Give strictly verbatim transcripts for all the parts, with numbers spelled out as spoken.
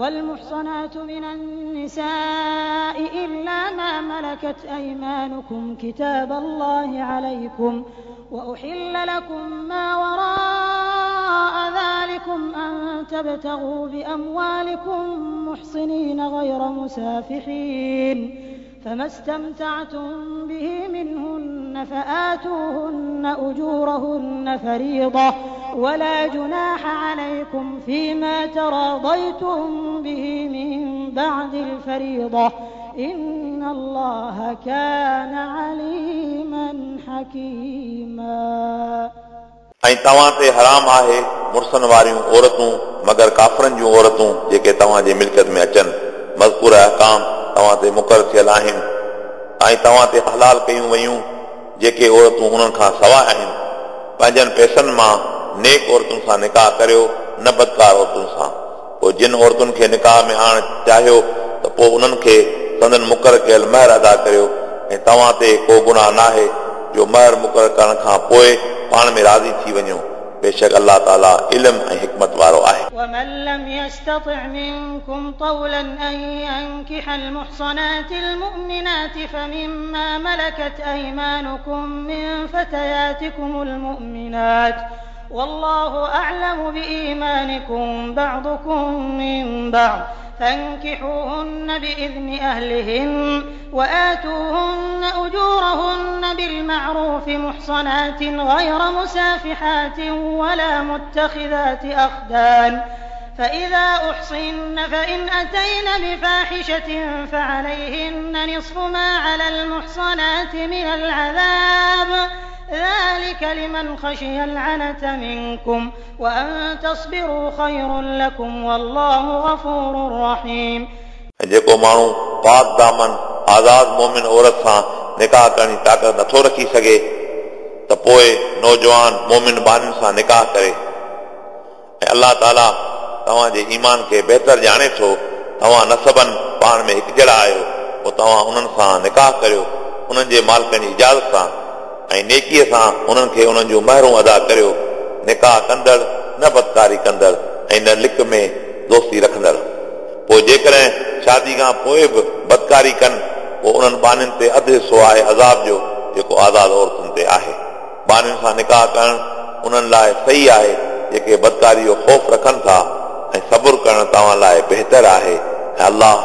والمحصنات من النساء إلا ما ملكت أيمانكم كتاب الله عليكم وأحل لكم ما وراء ذلكم أن تبتغوا بأموالكم محصنين غير مسافحين فما استمتعتم به منهن فآتوهن أجورهن فريضة ولا جناح عليكم فيما تراضيتم به من بعد الفريضة إن الله كان عليما حكيما. ऐं तव्हां ते हराम आहे मुड़सनि वारियूं औरतूं मगर काफ़रनि जूं औरतूं जेके तव्हांजे मिल्कियत में अचनि। मज़कूर अहकाम तव्हां ते मुक़ररु थियल आहिनि ऐं तव्हां ते हलाल कयूं वयूं जेके औरतूं उन्हनि खां सवाइ आहिनि। पंहिंजनि पैसनि मां नेक औरतुनि सां निकाह करियो, न बदकार औरतुनि सां। पोइ जिन औरतुनि खे निकाह में आणणु चाहियो त पोइ उन्हनि खे संदन मुक़ररु कयल महर अदा करियो ऐं तव्हां ते को गुनाह नाहे जो महर मुक़ररु करण खां पोइ पाण में राज़ी थी वञो। बेशक अल्लाह ताला इल्म ऐं हिकमत वारो आहे। ومن لم يستطع منكم طولا أن ينكح المحصنات المؤمنات فمما ملكت أيمانكم من فتياتكم المؤمنات والله أعلم بإيمانكم بعضكم من بعض فانكحوهن بإذن أهلهن وآتوهن أجورهن بالمعروف محصنات غير مسافحات ولا متخذات أخدان فإذا أحصن فإن أتين بفاحشة فعليهن نصف ما على المحصنات من العذاب ذلك لمن خشي العنة منكم وأن تصبروا خير لكم والله غفور رحيم. ऐं जेको माण्हू पाक दामन आज़ाद मोमिन औरत सां निकाह करण जी ताक़त नथो रखी सघे त पोइ नौजवान मोमिन ॿारनि सां निकाह करे। ऐं अल्लाह ताला तव्हांजे ईमान खे बहितर ॼाणे थो। तव्हां नसबनि पाण में हिकिजहिड़ा आहियो, पोइ तव्हां उन्हनि सां निकाह करियो उन्हनि जे मालिकनि जी इजाज़त सां ऐं नेकीअ सां उन्हनि खे उन्हनि जूं महरूं अदा करियो। निकाह कंदड़ न बदकारी कंदड़ ऐं न लिक में दोस्ती रखंदड़। पोइ जेकॾहिं शादी खां पोइ बि बदकारी कनि पोइ उन्हनि ॿारनि ते अधु हिसो आहे अज़ाब जो जेको आज़ाद औरतुनि ते आहे। ॿारनि सां निकाह करणु उन्हनि लाइ सही आहे जेके बदकारी जो ख़ौफ़ रखनि था ऐं सब्र करणु तव्हां लाइ बहितर आहे ऐं अल्लाह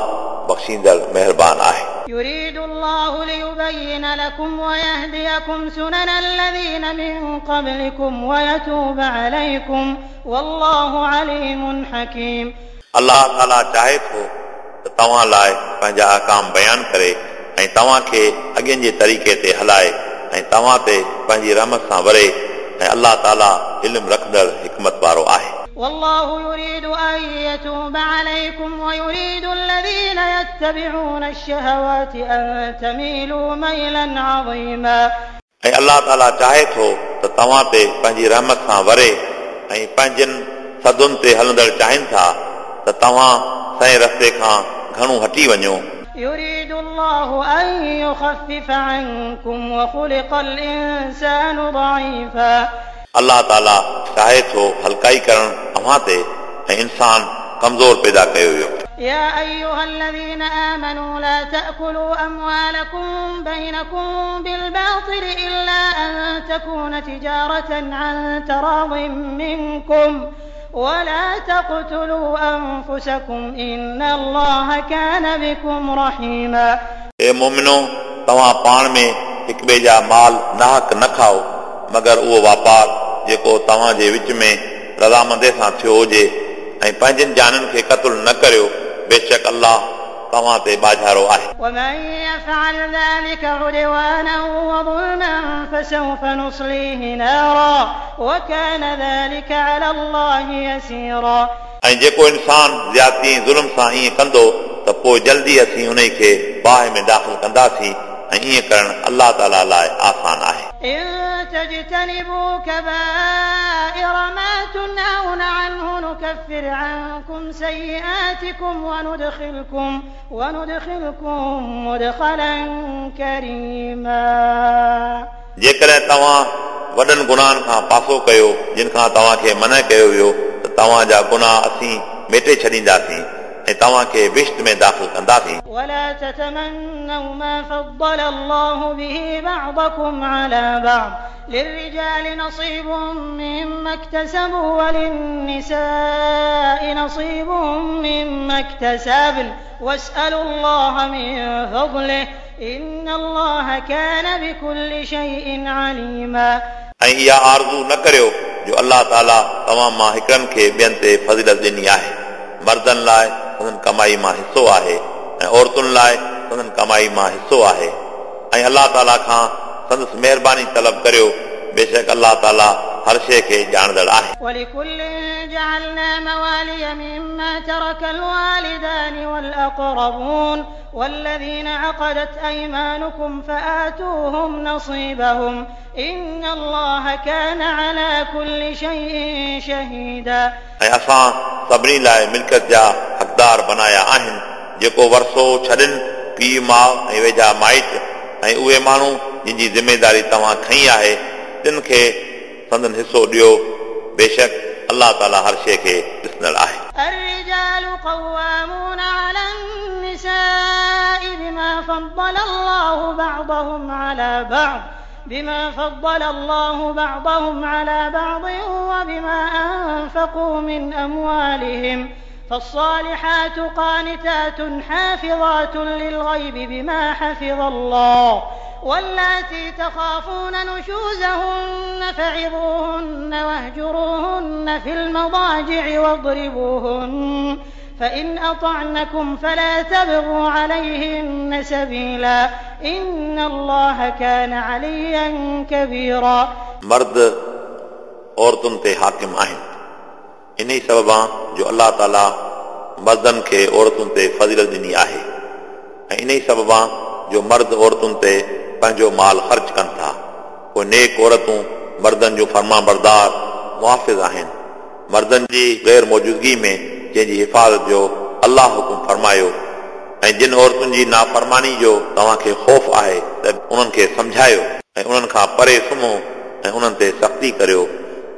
बख़्शींदड़ महिरबान आहे। يريد الله ليبين لكم ويهديكم سنن الذين من قبلكم ويتوب عليكم والله عليم حكيم. अल्लाह ताला चाहे थो त तव्हां लाइ पंहिंजा अहकाम बयानु करे ऐं तव्हांखे अॻियनि जे तरीक़े ते हलाए ऐं तव्हां ते पंहिंजी रहमत सां वरे ऐं अल्लाह ताला इल्मु रखंदड़ हिकमत वारो आहे। والله يريد أن يتوب عليكم ويريد الذين يتبعون الشهوات أن تميلوا ميلا عظيما. ऐं अल्लाह ताला चाहे थो त तव्हां ते पंहिंजी रहमत सां वरे ऐं पंहिंजनि सदुनि ते हलंदड़ चाहिनि था त तव्हां सही रस्ते खां घणो हटी वञो। يريد الله أن يخفف عنكم وخلق الإنسان ضعيفا. अल्लाह ताला चाहे थो हल्काई करणु अव्हां ते ऐं इंसान कमज़ोर पैदा कयो वियो। يا أيها الذين آمنوا لا تأكلوا أموالكم بينكم بالباطل إلا أن تكون تجارة عن تراض منكم ولا تقتلوا أنفسكم إن الله كان بكم رحيما. ए मोमिनो, तव्हां पाण में हिक ॿिए जा माल नाहक न खाओ मगर उहो वापार जेको तव्हांजे विच में रज़ामंदी सां थियो हुजे ऐं पंहिंजनि जाननि खे क़तलु न करियो, बेशक अल्लाह तव्हां ते बाझारो आहे। ومن يفعل ذلك عدوانا وظلما فسوف نصليه نارا وكان ذلك على الله يسيرا. ऐं जेको इंसान ज़्यादती ऐं ज़ुल्म सां ईअं कंदो त पोइ जल्दी असीं उन खे बाहि में दाख़िल कंदासीं ऐं ईअं करणु अल्लाह ताला लाइ आसान आहे। إن تجتنبوا كبائر ما تنهون عنه نكفر عنكم سيئاتكم وندخلكم وندخلكم مدخلا كريما. जेकॾहिं तव्हां वॾनि गुनाहनि खां पासो कयो जिन खां तव्हांखे मना कयो वियो त तव्हांजा गुनाह असीं मेटे छॾींदासीं ऐं तव्हांखे बिश्त में दाख़िल कंदासीं। ولا تتمنوا ما فضل الله به بعضكم على بعض للرجال نصيب مما اكتسبوا وللنساء نصيب مما اكتسبن واسألوا الله من فضله إن الله كان بكل شيء عليما। ऐं इहा आरज़ू न करियो जो अलाह ताला तव्हां मां हिकिड़नि खे ॿियनि ते फ़ज़ीलत ॾिनी आहे। मर्दनि लाइ संदन कमाई मां हिसो आहे ऐं औरतुनि लाइ संदन कमाई मां हिसो आहे ऐं अलाह ताला खां संदसि महिरबानी तलब करियो, बेशक अलाह ताला हर शइ खे ॼाणंदड़ आहे। ولكل جعلنا موالي مما ترك الوالدان والأقربون والذين عقدت أيمانكم فآتوهم نصيبهم إن الله كان على كل شيء شهيدا। ऐं असां सभिनी लाइ मिल्कियत जा हक़दार बनाया आहिनि, जेको वरसो छॾनि पीउ माउ ऐं वेझा माइट ऐं उहे माण्हू जिन जी ज़िम्मेदारी तव्हां खई आहे तिन खे संदन हिसो ॾियो, बेशक अलाह ताला हर शइ खे ॾिसंदड़ आहे। الرجال قوامون على النساء بما فضل الله بعضهم على بعض بما فضل الله بعضهم على بعض وبما أنفقوا من أموالهم فالصالحات قانتات حافظات للغيب بما حفظ الله واللاتي تخافون نشوزهن فعظوهن واهجروهن في المضاجع واضربوهن فإن أطعنكم فلا تبغوا عليهن سبيلا إن الله كان عليا كبيرا। मर्द औरतुनि ते हाकिम आहिनि, इन ई सबबा जो अलाह ताला मर्दनि खे औरतुनि ते फ़ज़ीलत ॾिनी आहे ऐं इन ई सबबा जो मर्द औरतुनि ते पंहिंजो माल ख़र्च कनि था। पोइ नेक औरतूं मर्दनि जूं फर्मा बरदार मुहाफ़िज़ आहिनि, मर्दनि जी ग़ैर मौजूदगी में जंहिंजी हिफ़ाज़त जो अलाह हुकुम फरमायो ऐं जिन औरतुनि जी नाफ़रमानी जो तव्हांखे ख़ौफ़ आहे त उन्हनि खे सम्झायो ऐं उन्हनि खां परे सुम्हो ऐं उन्हनि ते सख़्ती करियो।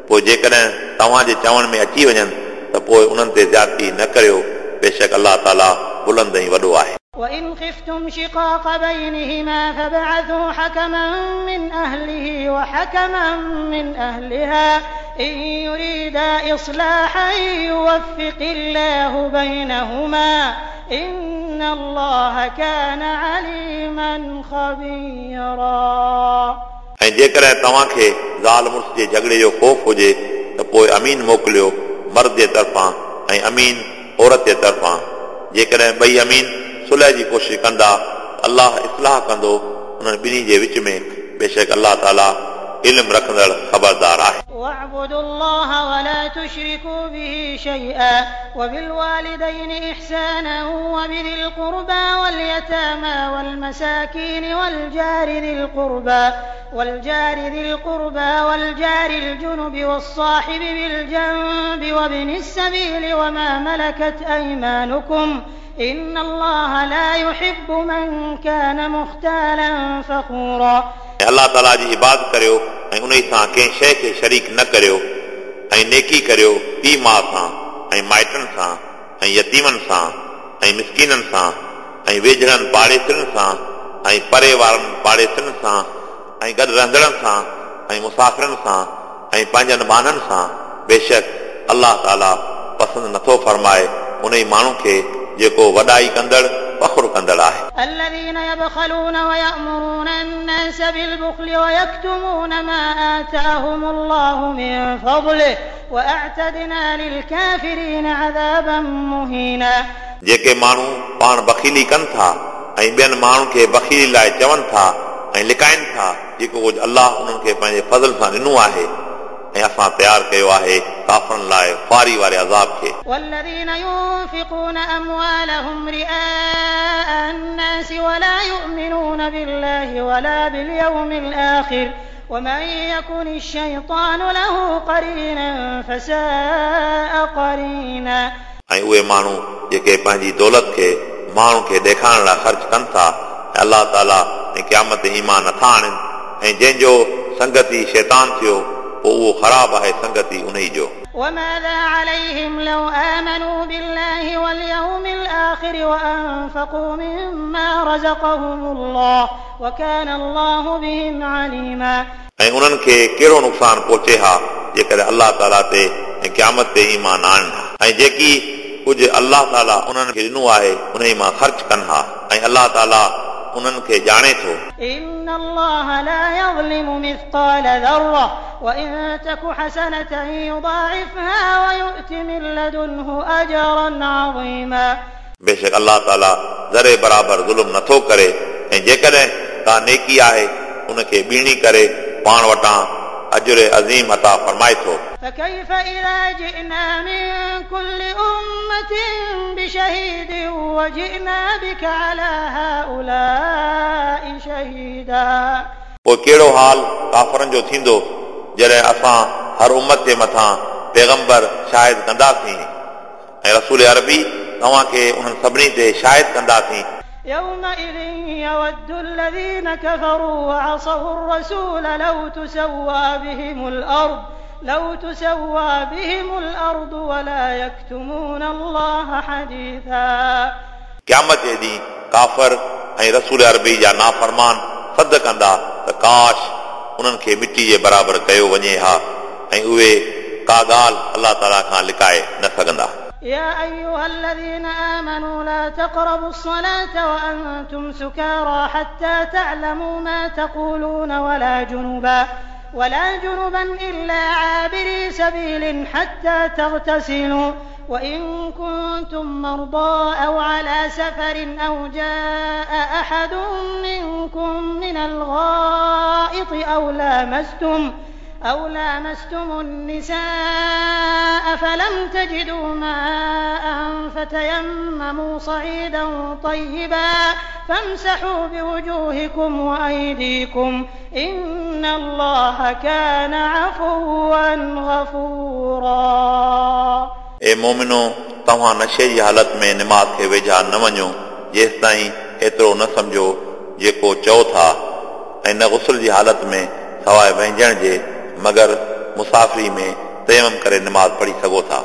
पोइ जेकॾहिं तव्हांजे चवण में अची वञनि त पोइ उन्हनि ते ज़्यादती न करियो, बेशक अलाह ताला बुलंद ऐं वॾो आहे। وإن خفتم شقاق بينهما فابعثوا حكما من أهله وحكما من أهلها إن يريدا إصلاحا يوفق الله بينهما إن الله كان عليما خبيرا। ऐं जेकॾहिं तव्हांखे ज़ाल मुड़ुस जे झगड़े जो ख़ौफ़ हुजे त पोइ अमीन मोकिलियो मर्द जे तरफ़ां ऐं अमीन औरत जे तरफ़ां। जेकॾहिं ॿई अमीन सुलह जी कोशिश कंदा अलाह इस्लाह कंदो उन्हनि ॿिन्ही जे विच में, बेशक अलाह ताला इल्मु रखंदड़ ख़बरदार आहे। واعبدوا الله ولا تشركوا به شيئا وبالوالدين إحسانا وبذي القربى واليتامى والمساكين والجار ذي القربى والجار ذي القربى والجار الجنب والصاحب بالجنب وابن السبيل وما ملكت أيمانكم إن الله لا يحب من كان مختالا فخورا। अलाह ताला जी इबादत करियो ऐं उन सां कंहिं शइ खे शरीक न करियो ऐं नेकी करियो पीउ माउ सां ऐं माइटनि सां ऐं यतीमनि सां ऐं मिसकीननि सां ऐं वेझड़नि पाड़ेसरनि सां ऐं परे वारनि पाड़ेसरनि सां ऐं गॾु रहंदड़नि सां ऐं मुसाफ़िरनि सां ऐं पंहिंजनि ॿान्हनि सां। बेशक अलाह ताला पसंदि नथो फरमाए उन ई माण्हू खे जेको वॾाई कंदड़ फ़ख़्रु कंदड़ आहे। الذين يبخلون ويأمرون الناس بالبخل ويكتمون ما آتاهم الله من فضله وأعتدنا للكافرين عذابا مهينا। जेके माण्हू पाण बख़ीली कनि था ऐं ॿियनि माण्हुनि खे बख़ीली लाइ चवनि था ऐं लिकाइनि था जेको कुझु अलाह उन्हनि खे पंहिंजे फ़ज़ल सां ॾिनो आहे ऐं असां तयारु कयो आहे काफ़रनि लाइ ख़्वारी वारे अज़ाब खे। والذين ينفقون أموالهم رئاء الناس ولا يؤمنون بالله ولا باليوم الآخر ومن يكن الشيطان له قرينا فساء قرينا। ऐं उहे माण्हू जेके पंहिंजी दौलत खे माण्हुनि खे ॾेखारण लाइ ख़र्च कनि था ऐं अलाह ताला ऐं क़यामत ते ईमान नथा आणनि ऐं जंहिंजो संगती शैतान थियो पोइ उहो ख़राबु आहे संगती उन ई जो। وماذا عليهم لو آمنوا بالله واليوم الآخر بالآخر وأنفقوا مما رزقهم الله وكان الله بهم عليما. ऐं उन्हनि खे कहिड़ो नुक़सानु पहुचे हा जेकॾहिं अलाह ताला ते ऐं क़यामत ते ईमान आणनि हा ऐं जेकी कुझु अलाह ताला उन्हनि खे ॾिनो आहे उन मां ख़र्च कनि हा ऐं अलाह ताला उन्हनि खे ॼाणे थो. إن الله لا يظلم مثقال ذرة وإن تك حسنة يضاعفها ويؤت من لدنه أجرا عظيما. बेशक अलाह ताला ज़रे बराबरि ज़ुल्म नथो करे ऐं जेकॾहिं का नेकी आहे उनखे ॿीणी करे पाण वटां अजर अज़ीम अता फरमाए थो. فكيف إذا جئنا من كل أمة بشهيد وجئنا بك على هؤلاء شهيدا. पोइ कहिड़ो हाल काफ़रनि जो थींदो जॾहिं असां हर उम्मत जे मथां पैगंबर शाहिद कंदासीं ऐं रसूल अरबी तव्हांखे उन्हनि सभिनी ते शाहिद कंदासीं. يومئذ يود الذين كفروا وعصوا الرسول لو تسوى بهم الأرض لو تسوى بهم الأرض ولا يكتمون الله حديثا. क़यामत जे ॾींहुं काफ़र ऐं रसूल अरबी जा नाफ़रमान सद कंदा त काश उन्हनि खे मिटी जे बराबरि कयो वञे हा ऐं उहे का ॻाल्हि अलाह ताला खां लिकाए न सघंदा. يا أيها الذين آمنوا لا تقربوا الصلاة وأنتم سكارى حتى تعلموا ما تقولون ولا جنبا ولا جنبا إلا عابري سبيل حتى تغتسلوا وإن كنتم مرضى أو على سفر أو جاء أحد منكم من الغائط أو لامستم أو لامستم النساء فلم تجدوا ماء فتيمموا صعيدا طيبا فامسحوا بوجوهكم وأيديكم إن الله كان عفوا غفورا. ए मोमिनो, तव्हां नशे जी हालत में नमाज़ खे वेझा न वञो जेसिताईं एतिरो न सम्झो जेको चओ था, ऐं न गुस्ल जी हालत में सवाइ वहिंजण जे, मगर मुसाफ़िरी में तयमम करे नमाज़ पढ़ी सघो था।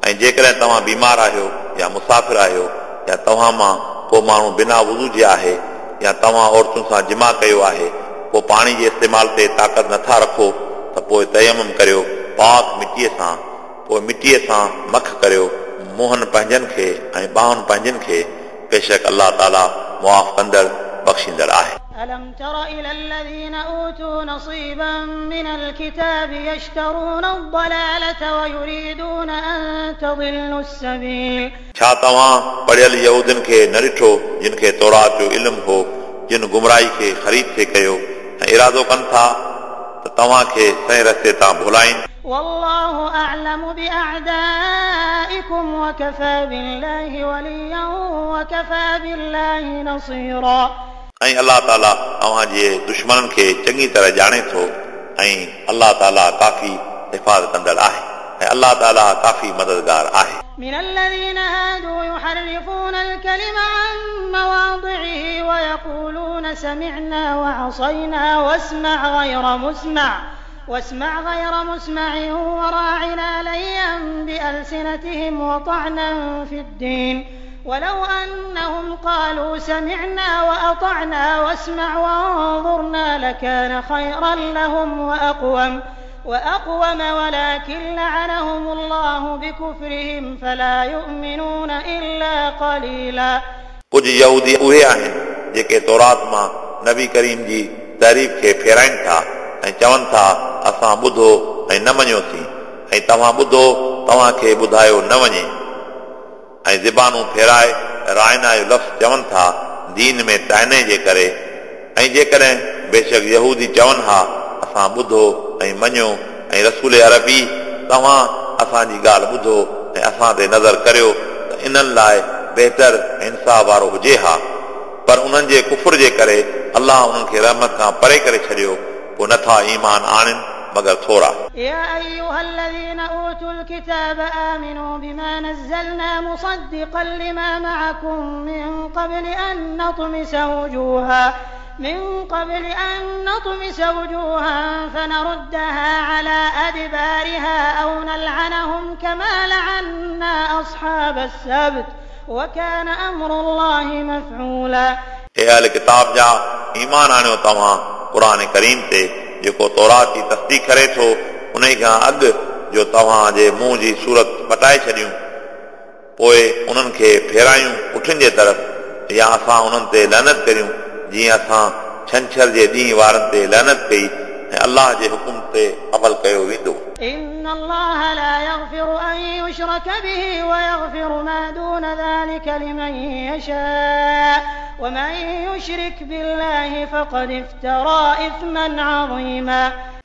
ऐं जेकॾहिं तव्हां बीमार आहियो या मुसाफ़िर आहियो या तव्हां मां को माण्हू बिना वुज़ू जे आहे या तव्हां औरतुनि सां जिमा कयो आहे, पोइ पाणी जे इस्तेमाल ते ताक़त नथा रखो त पोइ तयमम करियो पाक मिटीअ सां, पोइ मिटीअ सां मख करियो मुंहनि पंहिंजनि खे ऐं ॿाहुनि पंहिंजनि खे। बेशक अलाह ताला मुआफ़ कंदड़ बख़्शींदड़ आहे। ألم تر إلى الذين أوتوا نصيبا من الكتاب يشترون الضلالة ويريدون أن تضلوا السبيل. छा तव्हां पढ़ियल यहूदियुनि खे न ॾिठो जिन खे तौरात जो इल्मु हो, जिन गुमराही खे ख़रीद थे कयो ऐं इरादो कनि था त तव्हांखे सही रस्ते तां भुलाइनि। والله أعلم بأعدائكم وكفى بالله وليا وكفى بالله نصيرا. ऐं अलाह ताला तव्हां जे दुश्मननि खे चङी तरह ॼाणे थो ऐं अलाह ताला काफ़ी हिफ़ाज़त कंदड़ आहे ऐं अलाह ताला काफ़ी मददगार आहे। من الذين هادوا يحرفون الكلم عن مواضعه ويقولون سمعنا وعصينا واسمع غير مسمع واسمع غير مسمع وراعنا ليا بألسنتهم وطعنا في الدين ولو أنهم قالوا سمعنا وأطعنا واسمع وانظرنا لكان خيرا لهم وأقوم وأقوم ولكن لعنهم الله بكفرهم فلا يؤمنون إلا قليلا. कुझु यहूदी उहे आहिनि जेके तौरात मां नबी करीम जी तारीफ़ खे फेराइनि था ऐं चवनि था असां ॿुधो ऐं न मञियोसीं ऐं तव्हां ॿुधो तव्हांखे ॿुधायो न वञे, ऐं ज़बानूं फेराए रायना जो लफ़्ज़ चवनि था दीन में ताइने जे करे। ऐं जेकॾहिं बेशक यहूदी चवनि हा असां ॿुधो ऐं मञियो ऐं रसूल अरबी तव्हां असांजी ॻाल्हि ॿुधो ऐं असां ते नज़र करियो त इन्हनि लाइ बहितर इंसाफ़ वारो हुजे हा, पर उन्हनि जे कुफर जे करे अलाह उन्हनि खे रहमत खां परे करे छॾियो, पोइ नथा ईमान आणनि मगर थोरा। يا أيها الذين أوتوا الكتاب آمنوا بما نزلنا مصدقا لما معكم من قبل أن نطمس وجوها من قبل أن نطمس وجوها فنردها على أدبارها أو نلعنهم كما لعنا أصحاب السبت وكان أمر الله مفعولا. हे अहल किताब जा ईमान आणियो तव्हां क़ुरान करीम ते जेको तौरात जी तस्दीक करे थो उन खां अॻु जो तव्हांजे मुंहुं जी सूरत पटाए छॾियूं पोइ उन्हनि खे फेरायूं उठनि जे तरफ़ या असां उन्हनि ते लहनत करियूं जीअं असां छंछर जे ॾींहं वारनि ते लहनत कई ऐं अलाह जे हुकुम ते अमल कयो वेंदो। إن الله لا يغفر أن يشرك به ويغفر ما دون ذلك لمن يشاء ومن يشرك بالله فقد افترى إثما عظيما.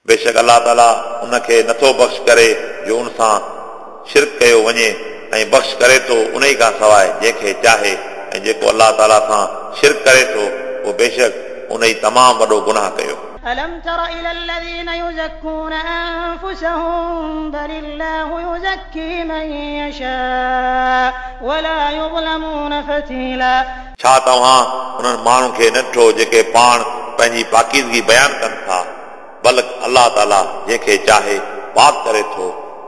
बेशक अलाह ताला उनखे नथो बख़्श करे जो उन सां शिरक कयो वञे ऐं बख़्श करे थो उन खां सवाइ जंहिंखे चाहे ऐं जेको अलाह ताला सां शिरक करे थो उहो बेशक उन ई तमामु वॾो गुनाह कयो। ألم تر إلى الذين يزكون أنفسهم بل الله يزكي من يشاء ولا يظلمون فتيلا. छा तव्हां उन्हनि माण्हुनि खे न ॾिठो जेके पाण पंहिंजी पाकीज़गी बयानु कनि था बल्कि अलाह ताला जंहिंखे चाहे पाक करे थो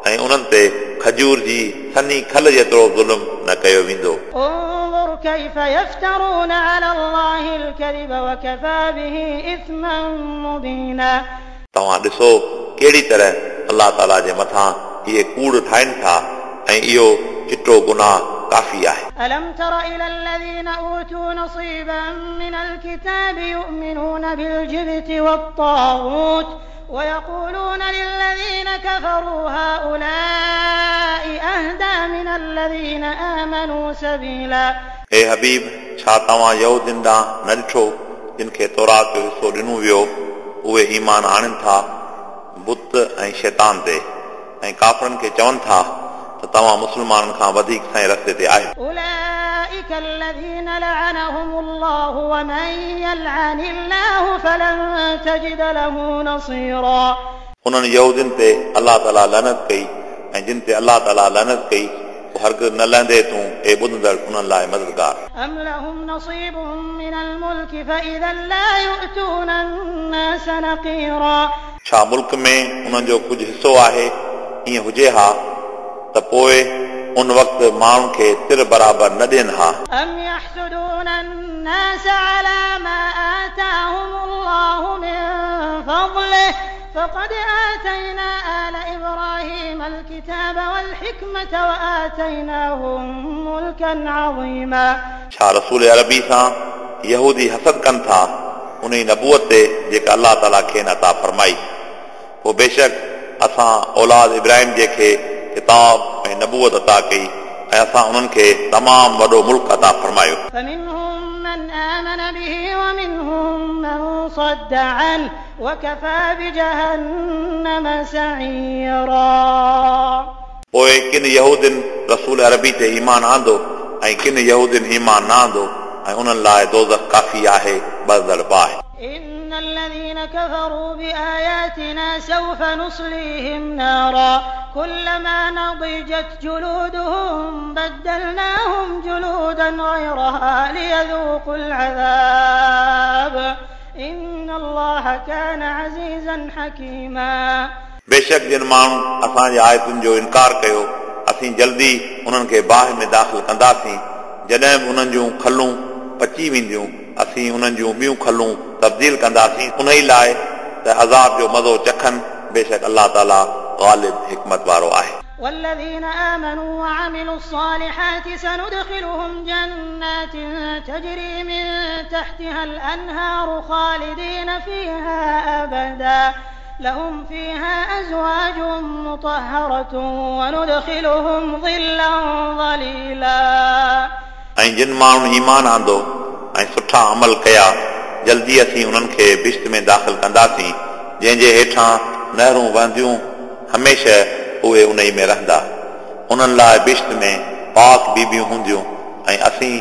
ऐं उन्हनि ते खजूर जी सनी खल जेतिरो ज़ुल्म न कयो वेंदो। انظر كيف يفترون على الله الكذب وكفى به إثما مبينا. तव्हां ॾिसो कहिड़ी तरह अलाह ताला जे मथां इहे कूड़ ठाहिनि था ऐं इहो चिटो गुनाह काफ़ी आहे। ألم تر إلى الذين أوتوا نصيبا من الكتاب يؤمنون بالجبت والطاغوت ويقولون للذين كفروا هؤلاء أهدى من الذين آمنوا سبيلا. हे हबीब, छा तव्हां यहूदियुनि ॾांहुं न ॾिठो जिन खे तौरात जो हिसो ॾिनो वियो उहे ईमान आणनि था बुत ऐं शैतान ते ऐं काफ़रनि खे चवनि था त तव्हां मुस्लमाननि खां वधीक सही रस्ते ते आहियो। أولئك الذين لعنهم الله ومن يلعن الله فلن تجد له نصيرا. उन्हनि यहूदियुनि ते अलाह ताला लनत कई ऐं जिन ते अलाह ताला लनत कई पोइ हरगिज़ न लहंदे तूं ए ॿुधंदड़ उन्हनि लाइ मददगार। أم لهم نصيب من الملك فإذا لا يؤتون الناس نقيرا. छा मुल्क में उन्हनि जो कुझु हिसो आहे? ईअं हुजे हा त पोइ उन वक़्तु माण्हुनि खे तिर बराबरि न ॾियनि हा। أم يحسدون الناس على ما آتاهم الله من فضله فقد آتينا آل إبراهيم الكتاب والحكمة وآتيناهم ملكا عظيما. छा रसूल अरबी सां यहूदी हसद कनि था उन नबूअत ते जेका अलाह ताला खेनि अता फरमाई? पोइ बेशक असां औलाद इब्राहिम जे खे किताब ऐं नबूअत अता कई ऐं असां उन्हनि खे तमामु वॾो मुल्क अता फरमायो। فمنهم من آمن به ومنهم من صد عنه وكفى بجهنم سعيرا. पोइ किन यहूदियुनि रसूल अरबी ते ईमान आंदो ऐं किन यहूदियुनि ईमान न आंदो ऐं उन्हनि लाइ दोज़ख काफ़ी आहे ॿरंदड़ बाहि। إن الذين كفروا بآياتنا سوف نصليهم نارا كلما نضجت جلودهم بدلناهم جلودا غيرها ليذوقوا العذاب إن الله كان عزيزا حكيما. बेशक जिन माण्हुनि असांजे आयतुनि जो इनकार कयो असीं जल्दी उन्हनि खे बाहि में दाख़िल कंदासीं। जॾहिं बि उन्हनि जूं खलूं पची वेंदियूं असीं उन्हनि जूं ॿियूं खलूं तब्दील कंदासीं उन ई लाइ त अज़ाब जो मज़ो चखनि। बेशक अलाह ताला ग़ालिब हिकमत वारो आहे। والذين آمنوا وعملوا الصالحات سندخلهم جنات تجري من تحتها الأنهار خالدين فيها أبدا لهم فيها أزواج مطهرة وندخلهم ظلا ظليلا. ऐं जिन माण्हुनि ईमान आंदो ऐं सुठा अमल कया जल्दी असीं उन्हनि खे बिश्त में दाख़िल कंदासीं जंहिंजे हेठां नहरूं वहंदियूं, हमेशह उहे उन में रहंदा। उन्हनि लाइ बिश्त में पाक बीबियूं हूंदियूं ऐं असीं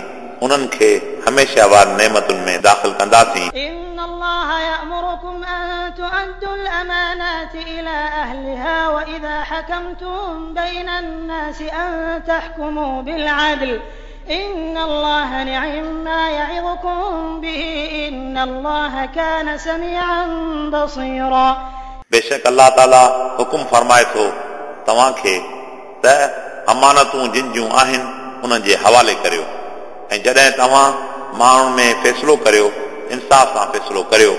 उन्हनि खे हमेशह वारनि नेमतुनि में दाख़िल कंदासीं। إن الله يأمركم أن تؤدوا الأمانات إلى أهلها وإذا حكمتم بين الناس أن تحكموا بالعدل إن الله نعم ما يعظكم به إن الله كان سميعا بصيرا. बेशक अलाह ताला हुकुम फरमाए थो तव्हांखे त अमानतूं जिन जूं आहिनि उन्हनि जे हवाले करियो ऐं जॾहिं तव्हां माण्हुनि में फ़ैसिलो करियो इंसाफ़ सां फ़ैसिलो करियो।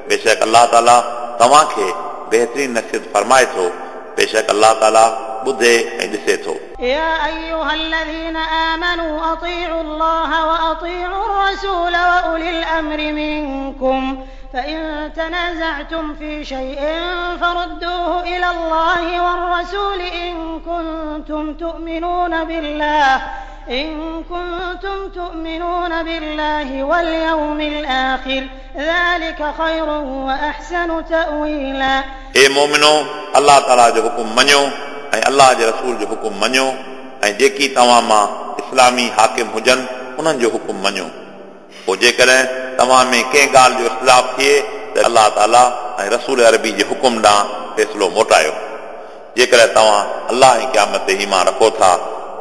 बेशक अलाह ताला तव्हांखे बहितरीन नसीहत फरमाए थो। बेशक अलाह ताला ॿुधे ऐं ॾिसे थो। يا أيها الذين آمنوا أطيعوا الله وأطيعوا الرسول وأولي الأمر منكم فإن تنازعتم في شيء فردوه إلى الله والرسول إن كنتم تؤمنون بالله إن كنتم تؤمنون بالله واليوم الآخر ذلك خير وأحسن تأويلا। ए मोमिनो, अलाह ताला जो हुकुम मञो ऐं अलाह जे रसूल जो हुकुम मञो ऐं जेकी तव्हां मां इस्लामी हाकिम हुजनि उन्हनि जो हुकुम मञो। पोइ जेकॾहिं तव्हां में कंहिं ॻाल्हि जो इख़्तिलाफ़ थिए त अलाह ताला ऐं रसूल अरबी जे हुकुम ॾांहुं फ़ैसिलो मोटायो। जेकॾहिं तव्हां अलाह ऐं क़यामत ते ईमान रखो था,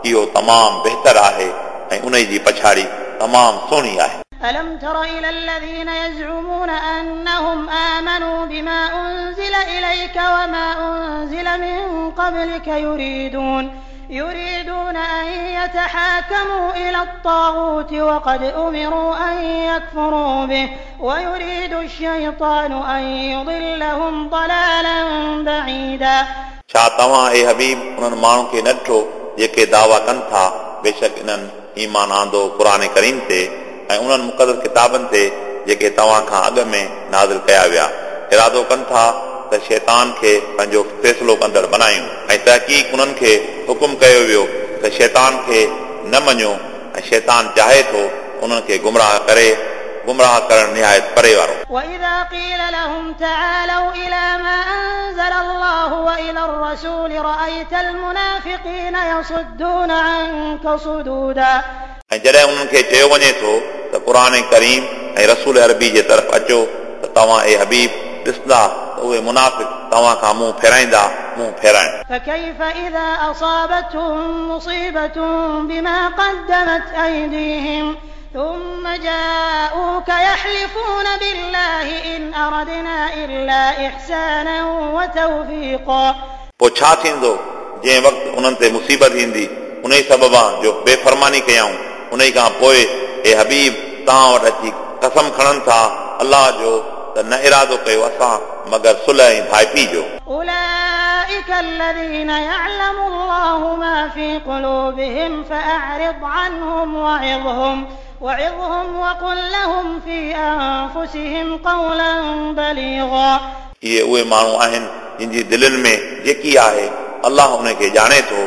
इहो तमामु बहितर आहे ऐं उन जी पछाड़ी तमामु सुहिणी आहे। ألم تر إلى الذين يزعمون أنهم آمنوا بما أنزل إليك وما أنزل من قبلك يريدون يريدون أن يتحاكموا إلى الطاغوت وقد أمروا أن يكفروا به ويريد الشيطان أن يضلهم ضلالا بعيدا। छा तव्हां ए हबीब उन्हनि माण्हुनि खे न ॾिठो जेके दावा कनि था बेशक इन्हनि ईमान आंदो क़ुर करीम ते ऐं उन्हनि मुक़दस किताबनि ते जेके तव्हां खां अॻु में नाज़िल कया विया। इरादो कनि था त शैतान खे पंहिंजो फ़ैसिलो कंदड़ बणायूं ऐं तहक़ीक़ उन्हनि खे हुकुम कयो वियो त शैतान खे न मञो ऐं शैतान चाहे थो उन्हनि खे गुमराह करे, गुमराह करण निहायत परे वारो। وإذا قيل لهم تعالوا إلى ما أنزل الله وإلى الرسول رأيت المنافقين يصدون عنك صدودا। ऐं जॾहिं उन्हनि खे चयो वञे थो त क़ुर करीम ऐं रसूल अरबी जे तरफ़ अचो त तव्हां ए हबीब ॾिसंदा त उहे मुनाफ़िक़ तव्हां खां मुंहुं फेराईंदा मुंहुं फेराइनि। فكيف إذا أصابتهم مصيبة بما قدمت أيديهم ثم جاءوك يحلفون بالله إن أردنا إلا إحسانا وتوفيقا। पोइ छा थींदो जंहिं वक़्तु उन्हनि ते मुसीबत ईंदी उन ई सबबा जो बेफरमानी कयाऊं उन खां पोइ ए हबीब तव्हां वटि अची कसम खणनि था अलाह जो त न इरादो कयो असां मगर सुलह ऐं भाइपी जो। أولئك الذين يعلم الله ما في قلوبهم فأعرض عنهم وعظهم وعظهم وقل لهم في أنفسهم قولا بليغا। इहे उहे माण्हू आहिनि जिन जी दिलनि में जेकी आहे अलाह उनखे ॼाणे थो।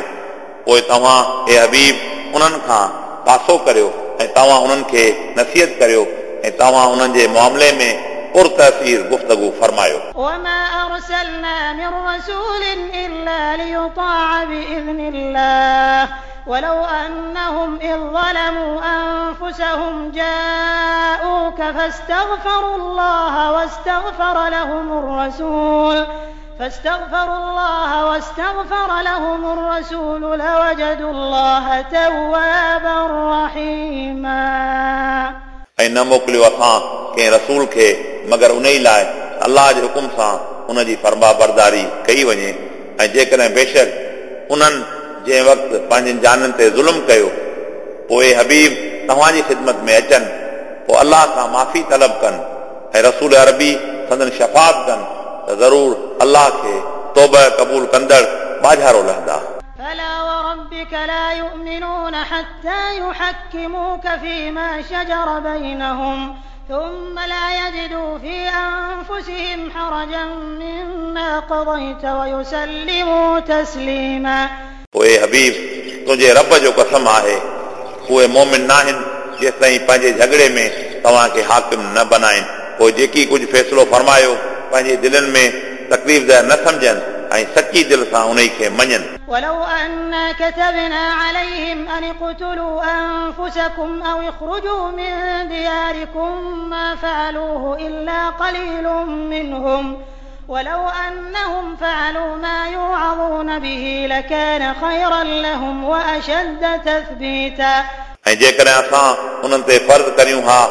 पोइ तव्हां ए हबीब उन्हनि खां पासो करियो ऐं तव्हां उन्हनि खे नसीहत करियो ऐं तव्हां उन्हनि जे मामले में पुरतसीर गुफ्तगू फरमायो। وما أرسلنا من رسول إلا ليطاع بإذن الله ولو أنهم إذ ظلموا أنفسهم جاءوك فاستغفروا الله واستغفر لهم الرسول فاستغفروا الله واستغفر لهم الرسول لوجدوا الله توابا رحيما। ऐं न मोकिलियो असां कंहिं रसूल खे मगर उन ई लाइ अलाह जे हुकुम सां उन जी फरमा बरदारी कई वञे। ऐं जेकॾहिं बेशक उन्हनि जंहिं वक़्तु पंहिंजनि जाननि ते ज़ुल्म कयो पोइ हबीब तव्हांजी ख़िदमत में अचनि पोइ अलाह खां माफ़ी तलब कनि ऐं रसूल अरबी संदन शफ़ात कनि त ज़रूर अलाह खे तौबा क़बूल कंदड़ बाझारो लहंदा। فلا وربك لا يؤمنون حتى يحكموك فيما شجر بينهم ثم لا يجدوا في أنفسهم حرجا مما قضيت ويسلموا تسليما। पोइ हबीब तुंहिंजे रब जो कसम आहे उहे मोमिन नाहिनि जेसिताईं पंहिंजे झगड़े में तव्हांखे हाकिम न बनाइनि। पोइ जेकी कुझु फ़ैसिलो फरमायो पंहिंजे दिलनि में तकलीफ़ न सम्झनि ऐं सची दिल सां उन खे मञनि। ولو أنا كتبنا عليهم أن اقتلوا أنفسكم أو اخرجوا من دياركم ما فعلوه إلا قليل منهم ولو أنهم فعلوا ما يوعظون به لكان خيرا لهم وأشد تثبيتا. ऐं जेकॾहिं असां उन्हनि ते फ़र्ज़ करियूं हा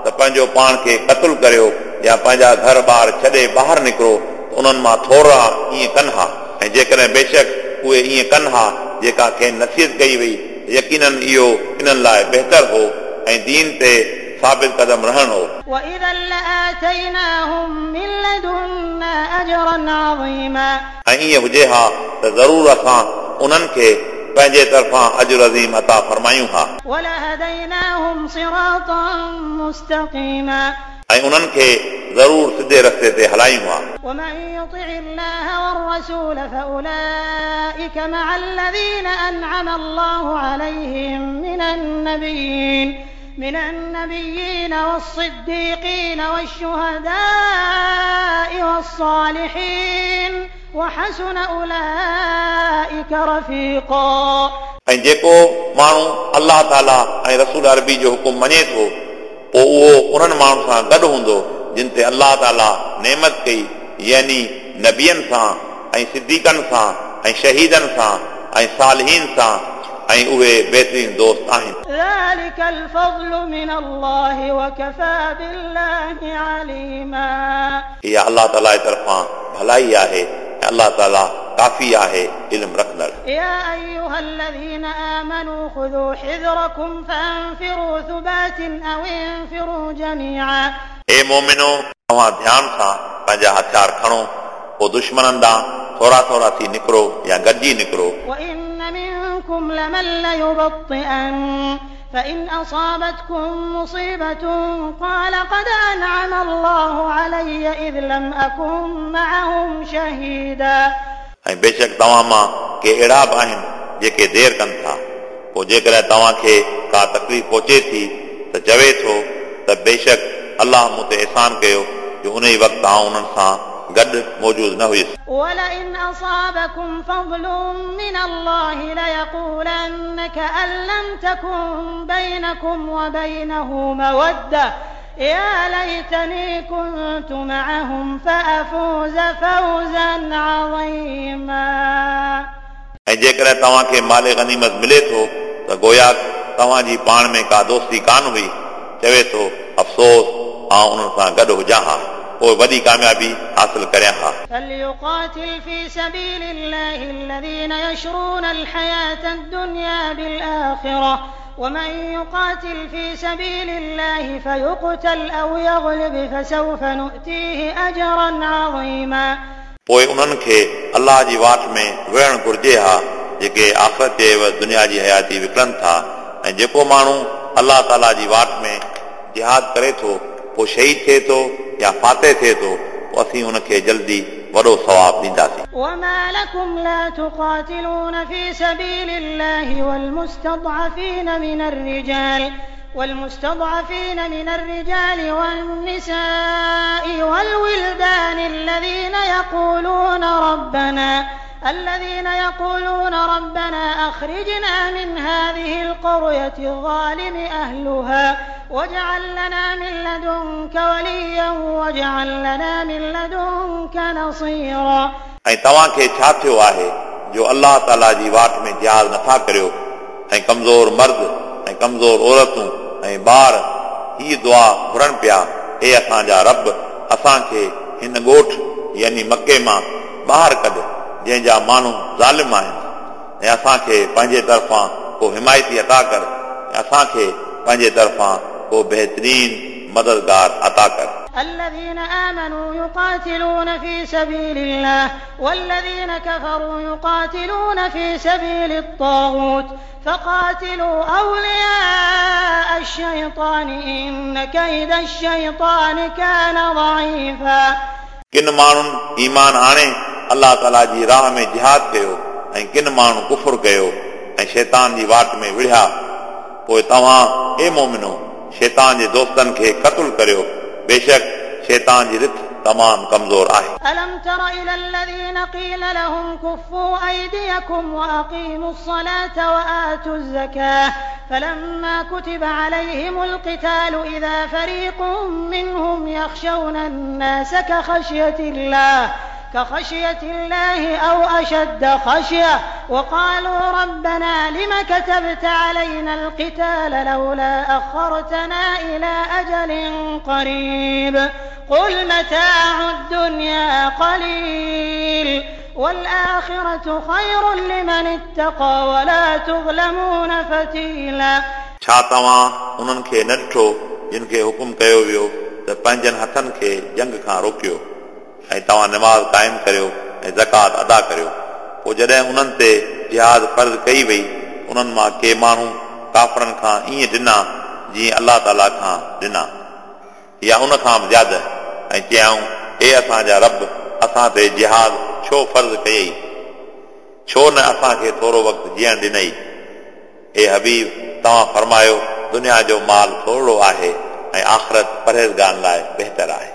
त पंहिंजो पाण खे क़तलु करियो या पंहिंजा घर ॿार छॾे ॿाहिरि निकिरो त उन्हनि मां थोरा ईअं कनि हा। ऐं जेकॾहिं बेशक उहे ईअं कनि हा जेका खेनि नसीहत कई वई यकीनन इहो इन्हनि लाइ बहितर हो ऐं दीन ते साबित कदम रहण हो। وإذا لآتيناهم من لدنا أجرا عظيما ऐं ईअं हुजे हा त ज़रूरु असां उन्हनि खे पंहिंजे तरफ़ां अजर अज़ीम अता फरमायूं हा। ولهديناهم صراطا مستقيما ऐं उन्हनि खे ज़रूर सिधे रस्ते ते हलायूं हा। ومن يطع الله والرسول فأولئك مع الذين أنعم الله عليهم من النبيين من النبيين والصديقين والشهداء والصالحين وحسن أولئك رفيقا। ऐं जेको माण्हू अलाह ताला ऐं रसूल अरबी जो हुकुम मञे थो पोइ उहो उन्हनि माण्हुनि सां गॾु हूंदो जिन ते अलाह ताला नेमत कई, यानी नबियनि सां ऐं सिद्दीकनि सां ऐं शहीदनि सां ऐं सालिहीन सां, ऐं उहे बहितरीन दोस्त आहिनि। ذلك الفضل من الله وكفى بالله عليما। इहा अलाह ताला जे तरफ़ां भलाई आहे ऐं अलाह ताला काफ़ी आहे इल्म रखंदड़। يا أيها الذين آمنوا خذوا حذركم فانفروا ثبات أو انفروا جميعا। ए मोमिनो, तव्हां ध्यान सां पंहिंजा हथियार खणो, पोइ दुश्मननि ॾांहुं थोरा थोरा थी निकिरो या गॾिजी निकिरो। وإن منكم لمن ليبطئن فإن أصابتكم مصيبة قال قد أنعم الله علي إذ لم أكن معهم شهيدا। ऐं बेशक तव्हां मां के अहिड़ा बि आहिनि जेके देरि कनि था, पोइ जेकॾहिं तव्हांखे का तकलीफ़ पहुचे थी त चवे थो त बेशक अलाह मूं ते अहसान कयो जो उन ई वक़्तु आउं उन्हनि सां गॾु मौजूदु न हुयुसि। ولئن أصابكم فضل من الله ليقولن كأن لم تكن بينكم وبينه مودة يا ليتني كنت معهم فأفوز فوزا عظيما। ऐं जेकॾहिं तव्हांखे माल गनीमत मिले थो त गोया तव्हांजी पाण में का दोस्ती कान हुई, चवे थो अफ़सोस आउं उन्हनि सां गॾु हुजां हा, पोइ वॾी कामयाबी हासिल करियां हा। فليقاتل في سبيل الله الذين يشرون الحياة الدنيا بالآخرة ومن يقاتل في سبيل الله فيقتل أو يغلب فسوف نؤتيه أجرا عظيما। पोइ उन्हनि खे अलाह जी वाट में विढ़णु घुर्जे हा जेके आख़िरत जे दुनिया जी हयाती विकिणनि था, ऐं जेको माण्हू अलाह ताला जी वाट में जिहाद करे थो पोइ शहीद थिए थो या फाते थिए थो, पोइ असीं उनखे जल्दी वॾो सवाब ॾींदासीं। وما لكم لا تقاتلون في سبيل الله والمستضعفين من الرجال والمستضعفين من الرجال والنساء والولدان الذين يقولون ربنا الذين يقولون ربنا أخرجنا من هذه القرية الظالم أهلها واجعل لنا من لدنك وليا واجعل لنا من لدنك نصيرا। ऐं तव्हांखे छा थियो आहे जो अलाह ताला जी वाट में जिहाद नथा करियो, ऐं कमज़ोर मर्द ऐं कमज़ोर औरतूं ऐं ॿार हीअ दुआ घुरनि पिया, हे असांजा रब, असांखे हिन ॻोठ यानी मक्के मां ॿाहिरि कढ जंहिंजा माण्हू ज़ालिम आहिनि, ऐं असांखे पंहिंजे तरफ़ां को हिमायती अता कर, ऐं असांखे पंहिंजे तरफ़ां को बहितरीन मददगार अता कर। الذين آمنوا يقاتلون في سبيل الله والذين كفروا يقاتلون في سبيل الطاغوت فقاتلوا أولياء الشيطان إن كيد الشيطان كان ضعيفا। किन माण्हुनि ईमान आणे अलाह ताला जी राह में जिहाद कयो ऐं किन माण्हू कुफुर कयो ऐं शैतान जी वाट में विढ़िया, पोइ तव्हां ए मोमिनो शैतान जे दोस्तनि खे क़तलु करियो, बेशक शैतान जी रिथ तमामु कमज़ोर आहे। ألم تر إلى الذين قيل لهم كفوا أيديكم وأقيموا الصلاة وآتوا الزكاة فلما كتب عليهم القتال إذا فريق منهم يخشون الناس كخشية الله كخشية الله أو أشد خشية وقالوا ربنا لم كتبت علينا القتال لولا أخرتنا إلى أجل قريب قل متاع الدنيا قليل والآخرة خير لمن اتقى ولا تظلمون فتيلا. छा तव्हां उन्हनि खे न ॾिठो जिन खे हुकुम कयो वियो त पंहिंजनि हथनि खे जंग खां रोकियो ऐं तव्हां नमाज़ क़ाइमु करियो ऐं ज़कात अदा करियो। पोइ जॾहिं उन्हनि ते जिहाद फ़र्ज़ कई वई उन्हनि मां के माण्हू काफ़रनि खां ईअं ॾिना जीअं अलाह ताला खां ॾिना या उन खां बि ज़्यादा ऐं चयाऊं हे असांजा रब असां ते जिहाद छो फ़र्ज़ कयई, छो न असांखे थोरो वक़्तु जीअण ॾिनई। हे हबीब तव्हां फरमायो दुनिया जो माल थोरो आहे ऐं आख़िरत परहेज़गारनि लाइ बहितर आहे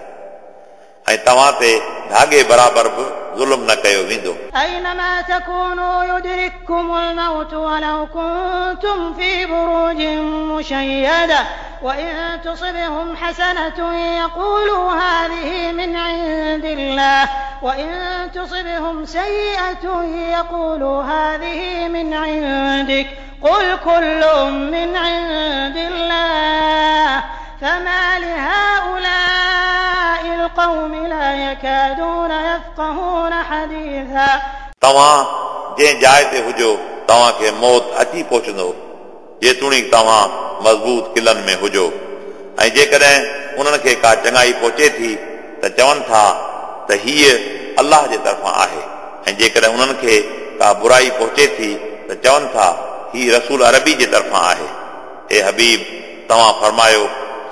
ऐं तव्हां ते धागे बराबरि बि ज़ुल्म न कयो वेंदो। أينما تكونوا يدرككم الموت ولو كنتم في بروج مشيدة وإن تصبهم حسنة يقولوا هذه من عند الله وإن تصبهم سيئة يقولوا هذه من عندك قل كل من عند الله فما لهؤلاء القوم لا يكادون يفقهون حديثا. तव्हां जंहिं जाइ ते हुजो तव्हांखे मौत अची पहुचंदो जेतोणीकि तव्हां मज़बूत किलनि में हुजो ऐं जेकॾहिं उन्हनि खे का चङाई पहुचे थी त चवनि था त हीअ अलाह जे तरफ़ां आहे ऐं जेकॾहिं उन्हनि खे का बुराई पहुचे थी त चवनि था हीअ रसूल अरबी जे तरफ़ां आहे। हे हबीब तव्हां फरमायो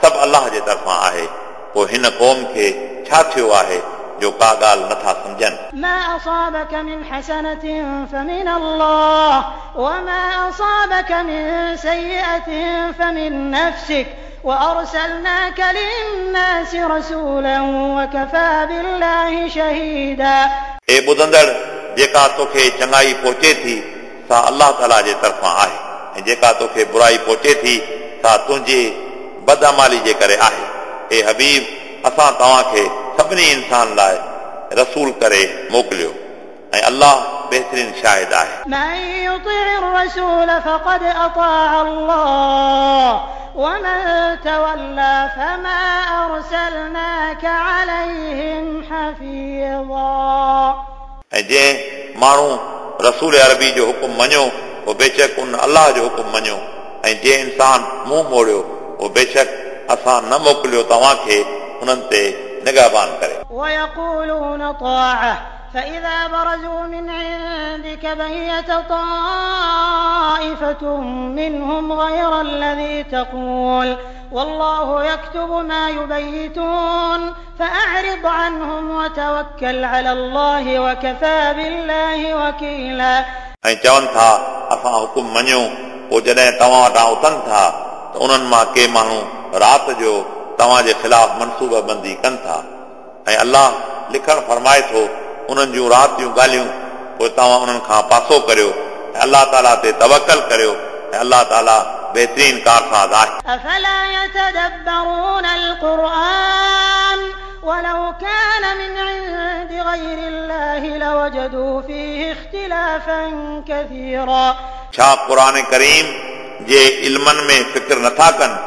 सभु अलाह जे तरफ़ां आहे, पोइ हिन क़ौम खे छा थियो आहे जो का ॻाल्हि नथा सम्झनि। ما أصابك من حسنة فمن الله وما أصابك من سيئة فمن نفسك وأرسلناك للناس رسولا وكفى بالله شهيدا. हे ॿुधंदड़ जेका तोखे चङाई पहुचे थी सा अलाह ताला जे तरफ़ां आहे ऐं जेका तोखे बुराई पहुचे थी सा तुंहिंजी बदअमाली जे करे आहे। हे हबीब असां तव्हांखे सभिनी इंसान लाइ रसूल करे मोकिलियो ऐं अलाह बहितरीन शाहिद आहे। من يطع الرسول فقد أطاع الله ومن تولى فما أرسلناك عليهم حفيظا. ऐं जंहिं माण्हू रसूल अरबी जो हुकुम मञियो उहो बेशक उन अलाह जो हुकुम मञियो ऐं जंहिं इंसान मुंहुं मोड़ियो उहो बेशक असां न मोकिलियो तव्हांखे उन्हनि ते निगहबान करे। ويقولون طاعة فإذا برزوا من عندك بيت طائفة منهم غير الذي تقول والله يكتب ما يبيتون فأعرض عنهم وتوكل على الله وكفى بالله وكيلا. ऐं चवनि था असां हुकुम मञियो, पोइ जॾहिं तव्हां वटां उथनि था त उन्हनि मां के माण्हू राति जो तव्हांजे ख़िलाफ़ मनसूबा बंदी कनि था ऐं अलाह लिखणु फरमाए थो उन्हनि जूं राति जूं ॻाल्हियूं, पोइ तव्हां उन्हनि खां पासो करियो ऐं अलाह ताला ते तवकल करियो ऐं अलाह ताला बहितरीन कारसाज़ आहे। أفلا يتدبرون القرآن ولو كان من عند غير الله لوجدوا فيه اختلافا كثيرا. छा क़ुर करीम जे इल्मनि में फ़िक्र नथा कनि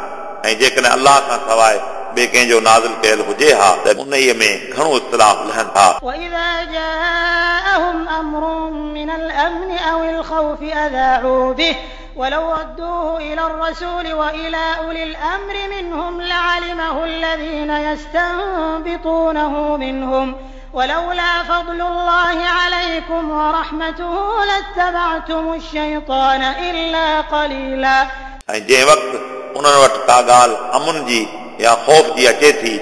ऐं जेकॾहिं अलाह खां सवाइ ॿिए कंहिंजो नाज़िल कयल हुजे हा त उन में घणो इख़्तिलाफ़ लहनि था। وإذا جاءهم أمر من الأمن أو الخوف أذاعوا به ولو ردوه إلى الرسول وإلى أولي الأمر منهم لعلمه الذين يستنبطونه منهم ولولا فضل الله عليكم ورحمته لاتبعتم الشيطان إلا قليلا. ऐं जंहिं वक़्तु उन्हनि वटि का ॻाल्हि अमुन जी या ख़ौफ़ जी अचे थी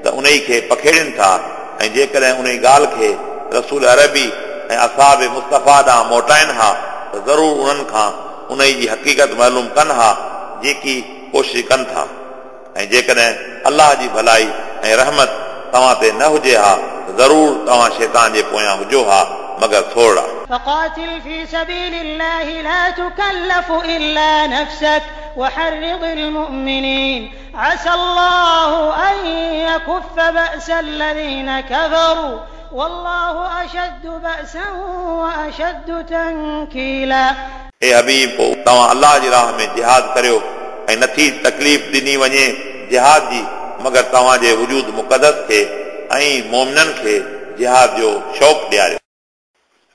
त उन खे पखेड़नि था ऐं जेकॾहिं उन ॻाल्हि खे रसूल अरबी ऐं असाब मुस्तफ़ा ॾांहुं मोटाइनि हा त ज़रूरु उन्हनि खां उन जी हक़ीक़त मालूम कनि हा जेकी कोशिश कनि था ऐं जेकॾहिं अलाह जी भलाई ऐं रहमत तव्हां ते न हुजे हा त ज़रूरु तव्हां शैतान जे पोयां हुजो हा मगर थोरा। فقاتل في سبيل الله لا تكلف إلا نفسك وحرض المؤمنين عسى الله أن يكف بأس الذين كفروا والله أشد بأسا وأشد تنكيلا. हे हबीब पोइ तव्हां अलाह जी राह में जिहाद करियो ऐं नथी तकलीफ़ ॾिनी वञे जिहाद जी मगर तव्हांजे वजूद मुक़दस खे ऐं मोमिननि खे जिहाद जो शौक़ु ॾियारियो।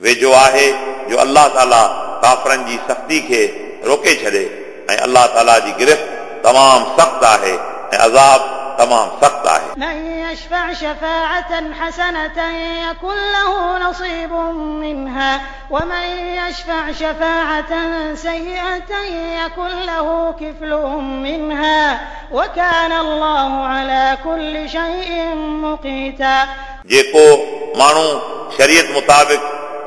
वेझो आहे जो अलाह ताला काफ़रनि जी सख़्ती खे रोके छॾे ऐं अलाह ताला जी गिरफ़्त तमामु सख़्तु आहे ऐं अज़ाब तमामु सख़्तु आहे। من يشفع شفاعة حسنة يكن له نصيب منها ومن يشفع شفاعة سيئة يكن له كفل منها وكان الله على كل شيء مقيتا। जेको माण्हू शरीयत मुताबिक़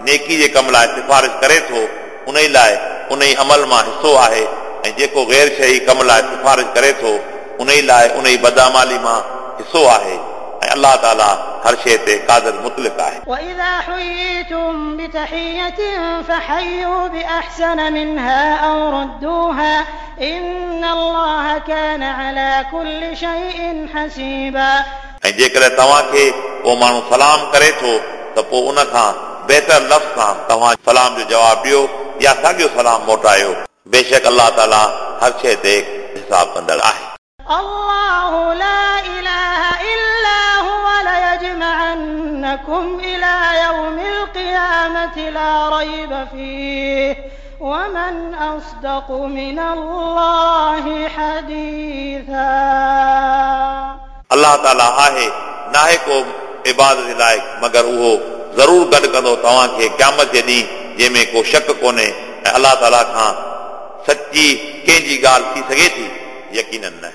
नेकी जे कम लाइ सिफारिश करे थो उन लाइ उन अमल मां हिसो आहे ऐं जेको गैर शही कम लाइ सिफारिश करे थो उन लाइ उन बदामाली मां हिसो आहे ऐं अलाह ताला हर शइ ते क़ादिर मुतलिक आहे। وإذا حييتم بتحية فحيوا بأحسن منها أو ردوها إن الله كان على كل شيء حسيبا। ऐं जेकॾहिं तव्हांखे को माण्हू सलाम करे थो त पोइ उन खां बहितर लफ़्ज़ सां तव्हां सलाम जो जवाबु ॾियो या साॻियो सलाम मोटायो। बेशक अलाह ताला हर शइ ते हिसाब कंदड़ आहे। الله لا إله إلا هو ليجمعنكم إلى يوم القيامة لا ريب فيه ومن أصدق من الله حديثا। अलाह ताला आहे नाहे को इबादत लाइक़ मगर उहो ज़रूरु गॾु कंदो तव्हांखे क़यामत जे ॾींहुं जंहिंमें को शक कोन्हे ऐं अलाह ताला खां सची कंहिंजी ॻाल्हि थी सघे थी यकीनन न।